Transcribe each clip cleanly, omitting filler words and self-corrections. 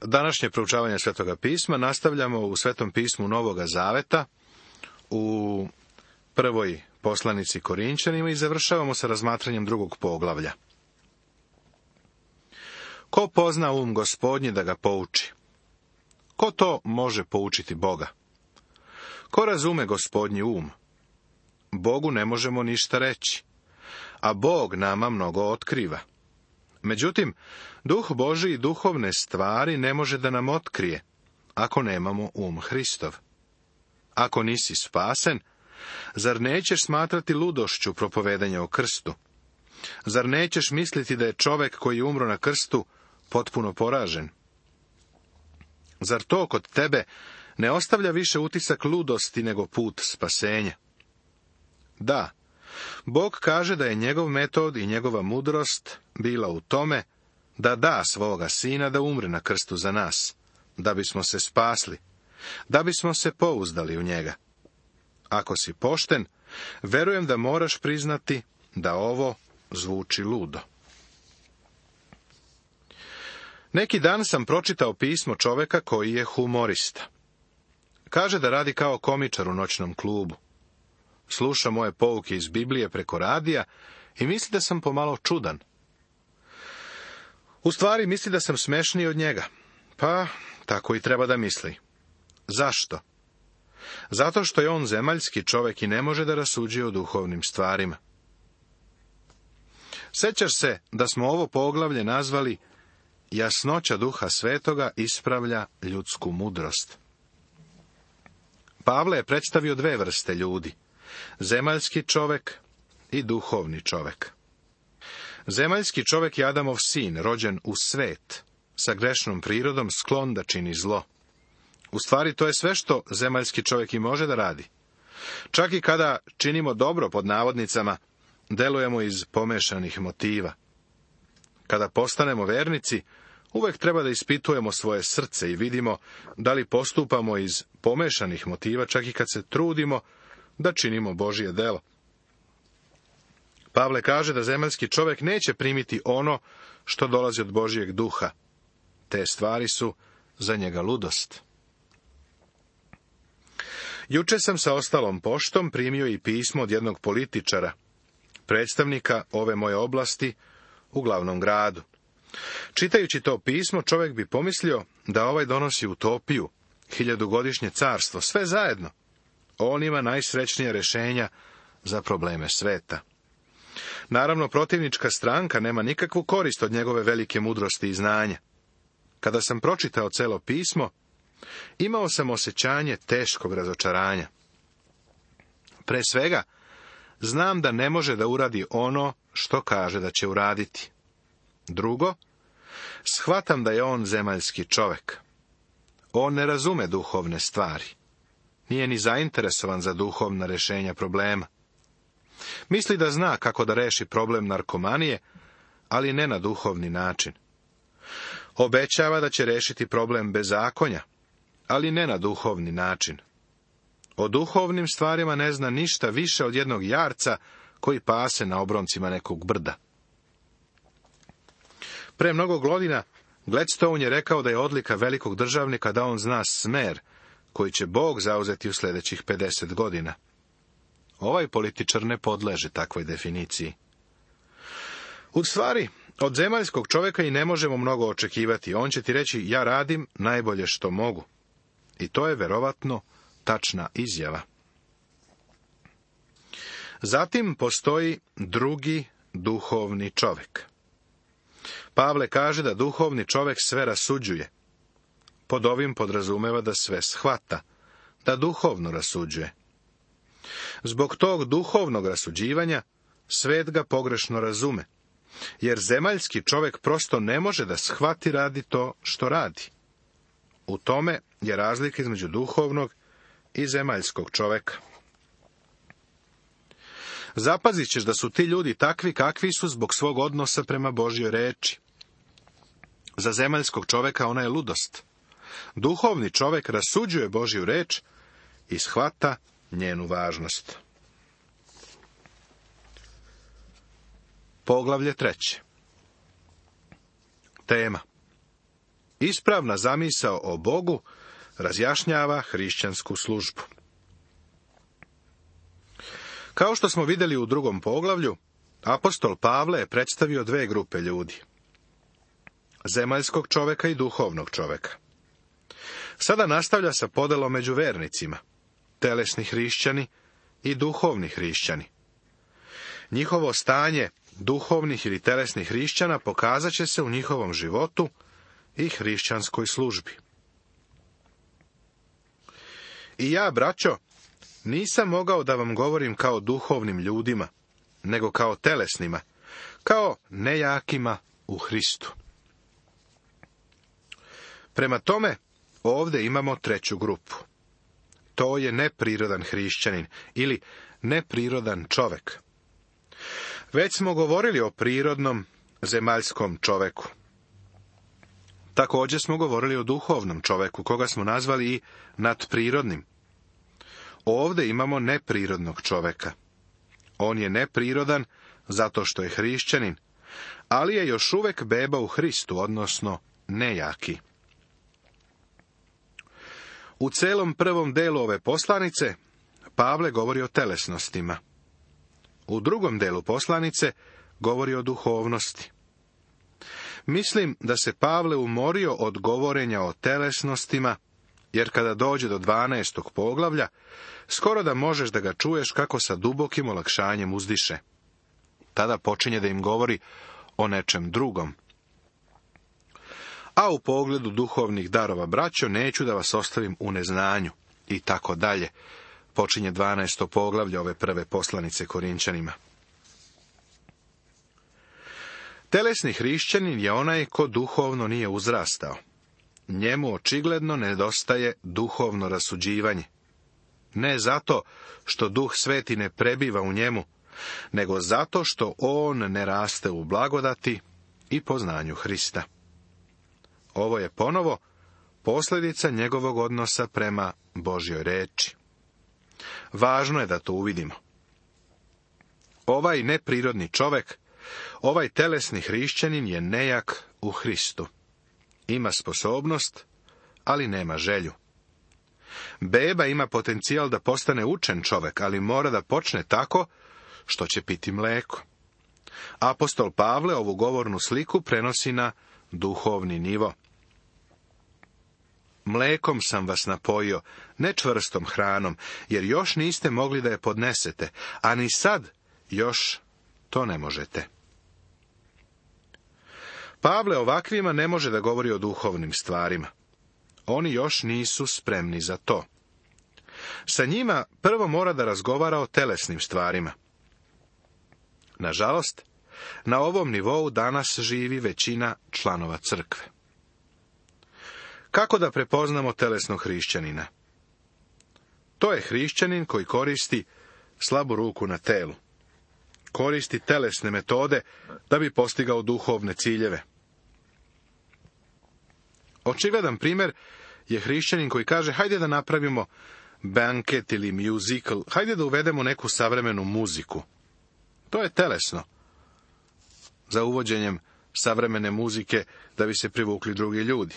Današnje proučavanje Svetoga pisma nastavljamo u Svetom pismu Novoga Zaveta, u prvoj poslanici Korinćanima i završavamo sa razmatranjem drugog poglavlja. Ko pozna Gospodnji da ga pouči? Ko to može poučiti Boga? Ko razume Gospodnji Bogu ne možemo ništa reći, a Bog nama mnogo otkriva. Međutim, Duh Božji i duhovne stvari ne može da nam otkrije, ako nemamo Hristov. Ako nisi spasen, zar nećeš smatrati ludošću propovedanja o krstu? Zar nećeš misliti da je čovek koji je umro na krstu potpuno poražen? Zar to kod tebe ne ostavlja više utisak ludosti nego put spasenja? Da, Bog kaže da je njegov metod i njegova mudrost bila u tome da da svoga sina da umre na krstu za nas, da bismo se spasli, da bismo se pouzdali u njega. Ako si pošten, verujem da moraš priznati da ovo zvuči ludo. Neki dan sam pročitao pismo čoveka koji je humorista. Kaže da radi kao komičar u noćnom klubu. Sluša moje pouke iz Biblije preko radija i misli da sam pomalo čudan. U stvari misli da sam smešniji od njega. Pa, tako i treba da misli. Zašto? Zato što je on zemaljski čovek i ne može da rasuđuje o duhovnim stvarima. Sećaš se da smo ovo poglavlje nazvali Jasnoća Duha Svetoga ispravlja ljudsku mudrost. Pavle je predstavio dve vrste ljudi, zemaljski čovek i duhovni čovek. Zemaljski čovek je Adamov sin, rođen u svet, sa grešnom prirodom, sklon da čini zlo. U stvari, to je sve što zemaljski čovjek i može da radi. Čak i kada činimo dobro, pod navodnicama, delujemo iz pomešanih motiva. Kada postanemo vernici, uvek treba da ispitujemo svoje srce i vidimo da li postupamo iz pomešanih motiva, čak i kad se trudimo da činimo Božje delo. Pavle kaže da zemaljski čovjek neće primiti ono što dolazi od Božjeg duha. Te stvari su za njega ludost. Juče sam sa ostalom poštom primio i pismo od jednog političara, predstavnika ove moje oblasti u glavnom gradu. Čitajući to pismo, čovjek bi pomislio da ovaj donosi utopiju, 1000-godišnje carstvo, sve zajedno. On ima najsrećnija rešenja za probleme sveta. Naravno, protivnička stranka nema nikakvu korist od njegove velike mudrosti i znanja. Kada sam pročitao celo pismo, imao sam osjećanje teškog razočaranja. Pre svega, znam da ne može da uradi ono što kaže da će uraditi. Drugo, shvatam da je on zemaljski čovek. On ne razume duhovne stvari. Nije ni zainteresovan za duhovna rešenja problema. Misli da zna kako da reši problem narkomanije, ali ne na duhovni način. Obećava da će rešiti problem bezakonja, ali ne na duhovni način. O duhovnim stvarima ne zna ništa više od jednog jarca koji pase na obroncima nekog brda. Pre mnogo godina Gladstone je rekao da je odlika velikog državnika da on zna smer koji će Bog zauzeti u sljedećih 50 godina. Ovaj političar ne podleže takvoj definiciji. U stvari, od zemaljskog čovjeka i ne možemo mnogo očekivati. On će ti reći, ja radim najbolje što mogu. I to je verovatno tačna izjava. Zatim postoji drugi duhovni čovjek. Pavle kaže da duhovni čovjek sve rasuđuje. Pod ovim podrazumeva da sve shvata, da duhovno rasuđuje. Zbog tog duhovnog rasuđivanja, svet ga pogrešno razume, jer zemaljski čovjek prosto ne može da shvati radi to što radi. U tome je razlika između duhovnog i zemaljskog čovjeka. Zapazit ćeš da su ti ljudi takvi kakvi su zbog svog odnosa prema Božjoj reči. Za zemaljskog čovjeka ona je ludost. Duhovni čovjek rasuđuje Božju reč i shvata njenu važnost. Poglavlje 3. Tema. ispravna zamisao o Bogu razjašnjava hrišćansku službu. Kao što smo vidjeli u 2. poglavlju, apostol Pavle je predstavio 2 grupe ljudi. Zemaljskog čoveka i duhovnog čoveka. Sada nastavlja sa podelom među vernicima, telesni hrišćani i duhovni hrišćani. Njihovo stanje duhovnih ili telesnih hrišćana pokazat će se u njihovom životu i hrišćanskoj službi. I ja, braćo, nisam mogao da vam govorim kao duhovnim ljudima, nego kao telesnima, kao nejakima u Hristu. Prema tome, ovdje imamo 3. grupu. To je neprirodan hrišćanin ili neprirodan čovek. Već smo govorili o prirodnom zemaljskom čoveku. Također smo govorili o duhovnom čoveku, koga smo nazvali i nadprirodnim. Ovdje imamo neprirodnog čoveka. On je neprirodan zato što je hrišćanin, ali je još uvek beba u Hristu, odnosno nejaki. U celom prvom delu ove poslanice Pavle govori o telesnostima. U drugom delu poslanice govori o duhovnosti. Mislim da se Pavle umorio od govorenja o telesnostima, jer kada dođe do 12. poglavlja, skoro da možeš da ga čuješ kako sa dubokim olakšanjem uzdiše. Tada počinje da im govori o nečem drugom. A u pogledu duhovnih darova, braćo, neću da vas ostavim u neznanju, i tako dalje. Počinje 12. poglavlje ove prve poslanice Korinćanima. Telesni hrišćanin je onaj ko duhovno nije uzrastao. Njemu očigledno nedostaje duhovno rasuđivanje. Ne zato što Duh Sveti ne prebiva u njemu, nego zato što on ne raste u blagodati i poznanju Hrista. Ovo je ponovo posljedica njegovog odnosa prema Božjoj reči. Važno je da to uvidimo. Ovaj neprirodni čovek, ovaj telesni hrišćanin je nejak u Hristu. Ima sposobnost, ali nema želju. Beba ima potencijal da postane učen čovek, ali mora da počne tako što će piti mleko. Apostol Pavle ovu govornu sliku prenosi na duhovni nivo. Mlekom sam vas napojio, ne čvrstom hranom, jer još niste mogli da je podnesete, a ni sad još to ne možete. Pavle ovakvima ne može da govori o duhovnim stvarima. Oni još nisu spremni za to. Sa njima prvo mora da razgovara o telesnim stvarima. Nažalost, na ovom nivou danas živi većina članova crkve. Kako da prepoznamo telesnog hrišćanina? To je hrišćanin koji koristi slabu ruku na telu. Koristi telesne metode da bi postigao duhovne ciljeve. Očigledan primjer je hrišćanin koji kaže: hajde da napravimo banket ili musical, hajde da uvedemo neku savremenu muziku. To je telesno. Za uvođenjem savremene muzike da bi se privukli drugi ljudi.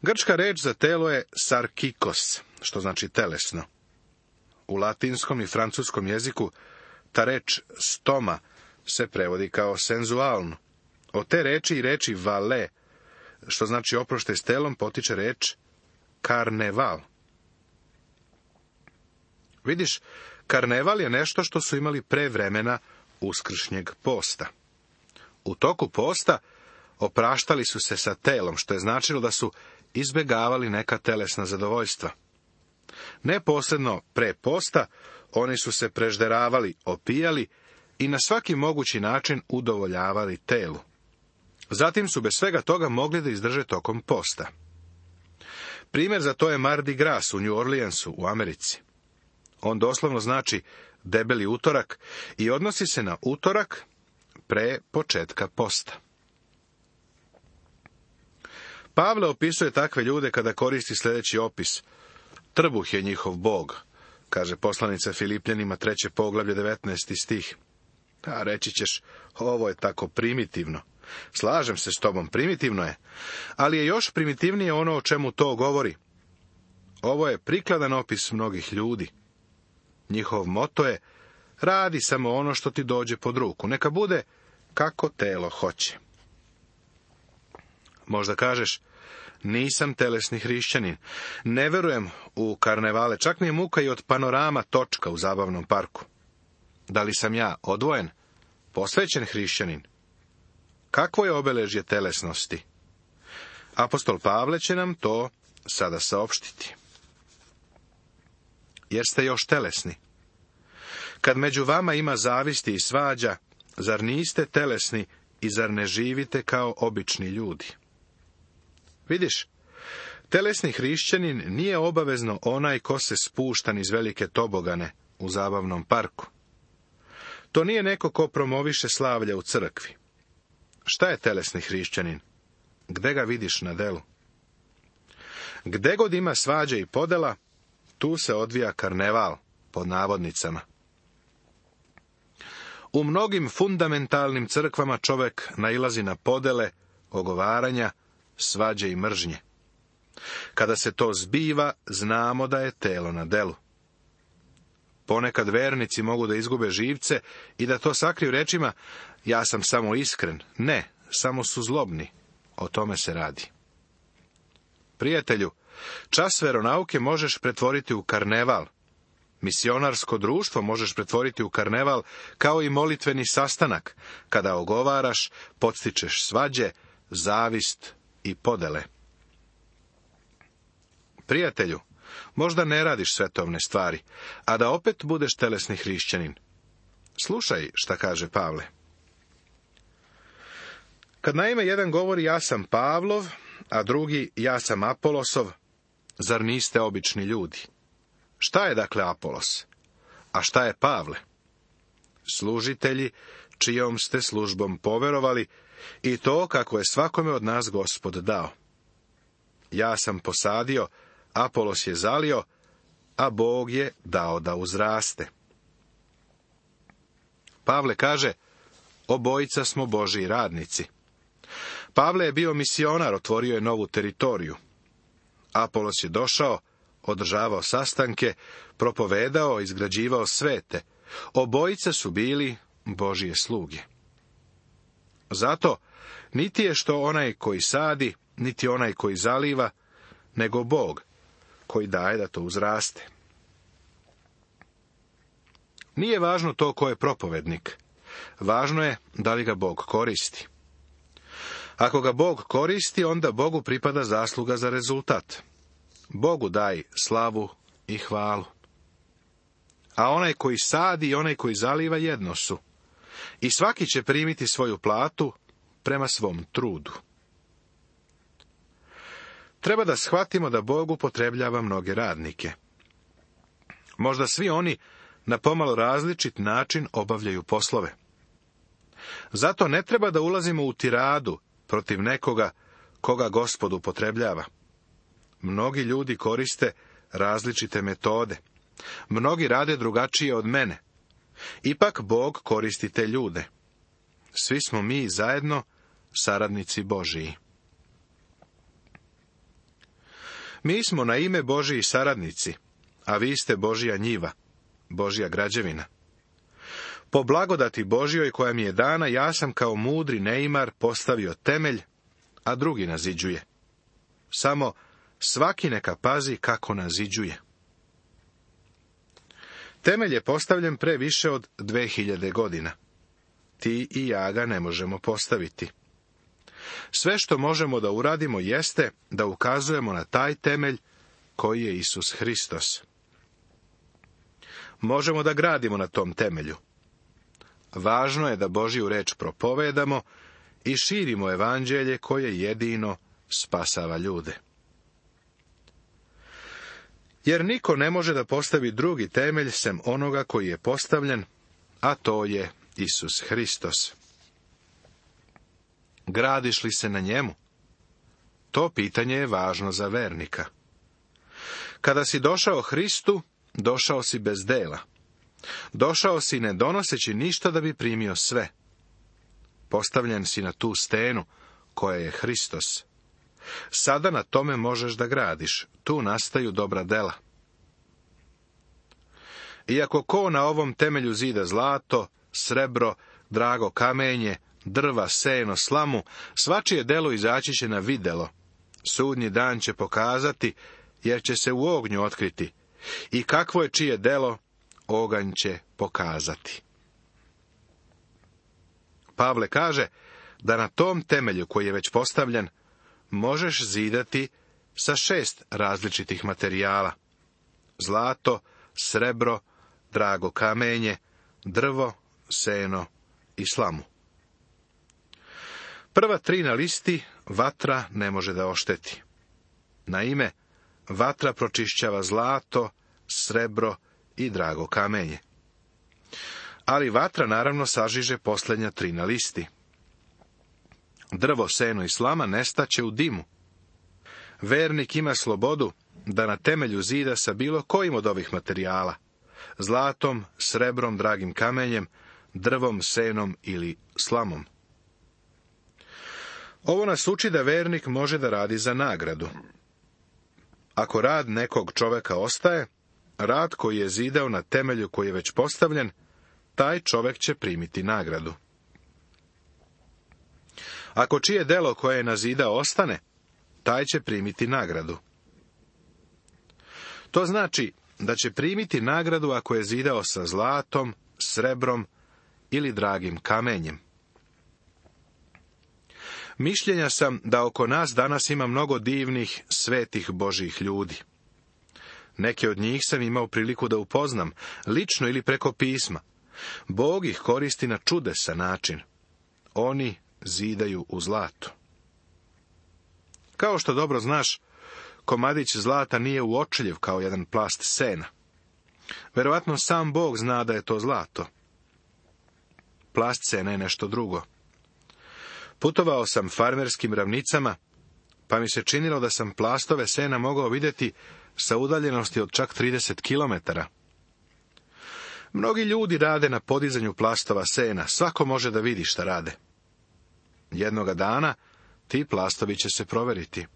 Grčka reč za telo je sarkikos, što znači telesno. U latinskom i francuskom jeziku ta reč stoma se prevodi kao senzualno. Od te reči i reči vale, što znači oproštaj s telom, potiče reč karneval. Vidiš, karneval je nešto što su imali pre vremena uskršnjeg posta. U toku posta opraštali su se sa telom, što je značilo da su izbegavali neka telesna zadovoljstva. Neposredno pre posta oni su se prežderavali, opijali i na svaki mogući način udovoljavali telu. Zatim su bez svega toga mogli da izdrže tokom posta. Primjer za to je Mardi Gras u New Orleansu u Americi. On doslovno znači debeli utorak i odnosi se na utorak pre početka posta. Pavle opisuje takve ljude kada koristi sljedeći opis: trbuh je njihov bog, kaže poslanica Filipljanima 3. poglavlje 19. stih. A reći ćeš, ovo je tako primitivno. Slažem se s tobom, primitivno je, ali je još primitivnije ono o čemu to govori. Ovo je prikladan opis mnogih ljudi. Njihov moto je: radi samo ono što ti dođe pod ruku, neka bude kako telo hoće. Možda kažeš: nisam telesni hrišćanin, ne verujem u karnevale, čak mi je muka i od panorama točka u zabavnom parku. Da li sam ja odvojen, posvećen hrišćanin? Kakvo je obeležje telesnosti? Apostol Pavle će nam to sada saopštiti. Jeste još telesni? Kad među vama ima zavisti i svađa, zar niste telesni i zar ne živite kao obični ljudi? Vidiš, telesni hrišćanin nije obavezno onaj ko se spušta niz velike tobogane u zabavnom parku. To nije neko ko promoviše slavlje u crkvi. Šta je telesni hrišćanin? Gde ga vidiš na delu? Gde god ima svađe i podela, tu se odvija karneval, pod navodnicama. U mnogim fundamentalnim crkvama čovjek nailazi na podele, ogovaranja, svađe i mržnje. Kada se to zbiva, znamo da je telo na delu. Ponekad vernici mogu da izgube živce i da to sakriju rečima: ja sam samo iskren. Ne, samo su zlobni. O tome se radi. Prijatelju, čas veronauke možeš pretvoriti u karneval. Misionarsko društvo možeš pretvoriti u karneval, kao i molitveni sastanak, kada ogovaraš, podstičeš svađe, zavist i podele. Prijatelju, možda ne radiš svetovne stvari, a da opet budeš telesni hrišćanin. Slušaj šta kaže Pavle. Kad naime jedan govori: ja sam Pavlov, a drugi: ja sam Apolosov, zar niste obični ljudi? Šta je dakle Apolos? A šta je Pavle? Služitelji čijom ste službom poverovali, i to kako je svakome od nas Gospod dao. Ja sam posadio, Apolos je zalio, a Bog je dao da uzraste. Pavle kaže: obojica smo Božji radnici. Pavle je bio misionar, otvorio je novu teritoriju. Apolos je došao, održavao sastanke, propovedao, izgrađivao svete. Obojica su bili Božje sluge. Zato, niti je što onaj koji sadi, niti onaj koji zaliva, nego Bog, koji daje da to uzraste. Nije važno to ko je propovednik. Važno je da li ga Bog koristi. Ako ga Bog koristi, onda Bogu pripada zasluga za rezultat. Bogu daj slavu i hvalu. A onaj koji sadi i onaj koji zaliva jedno su. I svaki će primiti svoju platu prema svom trudu. Treba da shvatimo da Bog upotrebljava mnoge radnike. Možda svi oni na pomalo različit način obavljaju poslove. Zato ne treba da ulazimo u tiradu protiv nekoga koga Gospod upotrebljava. Mnogi ljudi koriste različite metode. Mnogi rade drugačije od mene. Ipak Bog koristi te ljude. Svi smo mi zajedno saradnici Božiji. Mi smo na ime Božiji saradnici, a vi ste Božja njiva, Božja građevina. Po blagodati Božjoj koja mi je dana, ja sam kao mudri neimar postavio temelj, a drugi naziđuje. Samo svaki neka pazi kako naziđuje. Temelj je postavljen pre više od 2000 godina. Ti i ja ga ne možemo postaviti. Sve što možemo da uradimo jeste da ukazujemo na taj temelj koji je Isus Hristos. Možemo da gradimo na tom temelju. Važno je da Božju reč propovedamo i širimo evanđelje koje jedino spasava ljude. Jer niko ne može da postavi drugi temelj sem onoga koji je postavljen, a to je Isus Hristos. Gradiš li se na njemu? To pitanje je važno za vernika. Kada si došao Hristu, došao si bez dela. Došao si ne donoseći ništa da bi primio sve. Postavljen si na tu stenu, koja je Hristos. Sada na tome možeš da gradiš, tu nastaju dobra dela. Iako ko na ovom temelju zida zlato, srebro, drago kamenje, drva, seno, slamu, svačije delo izaći će na videlo. Sudnji dan će pokazati, jer će se u ognju otkriti. I kakvo je čije delo, oganj će pokazati. Pavle kaže da na tom temelju koji je već postavljen, možeš zidati sa 6 različitih materijala. Zlato, srebro, drago kamenje, drvo, seno i slamu. Prva 3 na listi vatra ne može da ošteti. Naime, vatra pročišćava zlato, srebro i drago kamenje. Ali vatra naravno sažiže posljednja 3 na listi. Drvo, seno i slama nestaće u dimu. Vernik ima slobodu da na temelju zida sa bilo kojim od ovih materijala, zlatom, srebrom, dragim kamenjem, drvom, senom ili slamom. Ovo nas uči da vernik može da radi za nagradu. Ako rad nekog čoveka ostaje, rad koji je zidao na temelju koji je već postavljen, taj čovek će primiti nagradu. Ako čije delo koje je nazidao ostane, taj će primiti nagradu. To znači da će primiti nagradu ako je zidao sa zlatom, srebrom ili dragim kamenjem. Mišljenja sam da oko nas danas ima mnogo divnih, svetih Božjih ljudi. Neke od njih sam imao priliku da upoznam, lično ili preko pisma. Bog ih koristi na čudesan način. Oni zidaju u zlatu. Kao što dobro znaš, komadić zlata nije uočljiv kao jedan plast sena. Verovatno sam Bog zna da je to zlato. Plast sena je nešto drugo. Putovao sam farmerskim ravnicama, pa mi se činilo da sam plastove sena mogao vidjeti sa udaljenosti od čak 30 kilometara. Mnogi ljudi rade na podizanju plastova sena, svako može da vidi šta rade. Jednoga dana ti plastovi će se proveriti.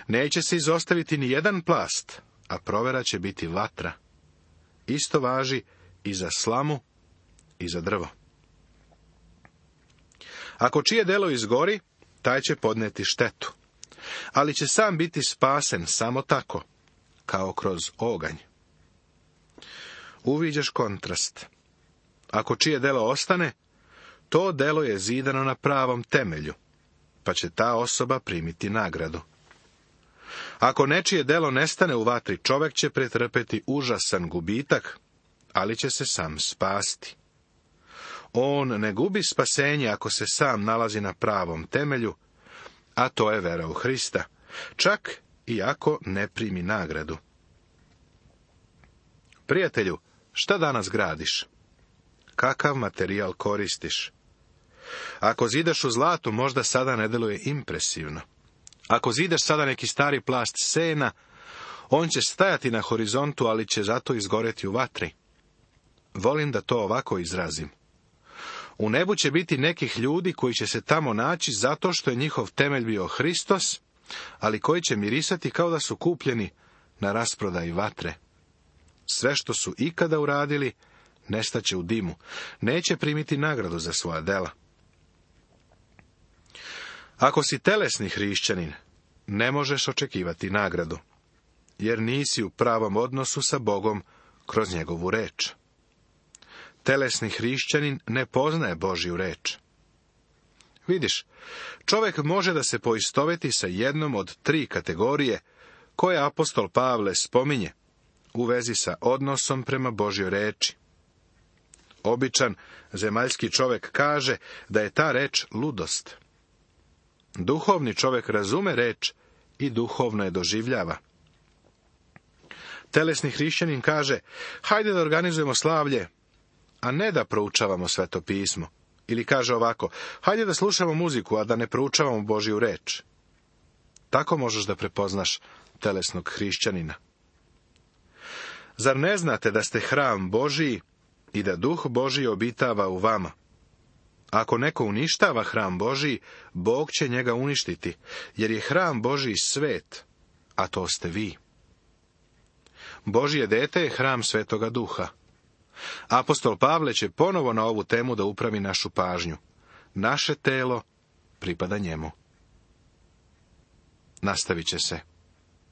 Neće se izostaviti ni jedan plast, a provera će biti vatra. Isto važi i za slamu i za drvo. Ako čije delo izgori, taj će podneti štetu, ali će sam biti spasen samo tako, kao kroz oganj. Uviđaš kontrast. Ako čije delo ostane, to delo je zidano na pravom temelju, pa će ta osoba primiti nagradu. Ako nečije delo nestane u vatri, čovek će pretrpeti užasan gubitak, ali će se sam spasti. On ne gubi spasenje ako se sam nalazi na pravom temelju, a to je vera u Hrista, čak i ako ne primi nagradu. Prijatelju, šta danas gradiš? Kakav materijal koristiš? Ako zidaš u zlatu, možda sada ne deluje impresivno. Ako zidaš sada neki stari plast sena, on će stajati na horizontu, ali će zato izgoreti u vatri. Volim da to ovako izrazim. U nebu će biti nekih ljudi koji će se tamo naći zato što je njihov temelj bio Hristos, ali koji će mirisati kao da su kupljeni na rasprodaji vatre. Sve što su ikada uradili, nestaće u dimu, neće primiti nagradu za svoja dela. Ako si telesni hrišćanin, ne možeš očekivati nagradu, jer nisi u pravom odnosu sa Bogom kroz njegovu reč. Telesni hrišćanin ne poznaje Božju reč. Vidiš, čovjek može da se poistoveti sa jednom od 3 kategorije koje apostol Pavle spominje u vezi sa odnosom prema Božjoj reči. Običan zemaljski čovjek kaže da je ta reč ludost. Duhovni čovjek razume reč i duhovno je doživljava. Telesni hrišćanin kaže, hajde da organizujemo slavlje, a ne da proučavamo Sveto pismo. Ili kaže ovako, hajde da slušamo muziku, a da ne proučavamo Božju reč. Tako možeš da prepoznaš telesnog hrišćanina. Zar ne znate da ste hram Božiji i da Duh Božji obitava u vama? Ako neko uništava hram Božji, Bog će njega uništiti, jer je hram Božji svet, a to ste vi. Božje dete je hram Svetoga Duha. Apostol Pavle će ponovo na ovu temu da upravi našu pažnju. Naše telo pripada njemu. Nastavit će se.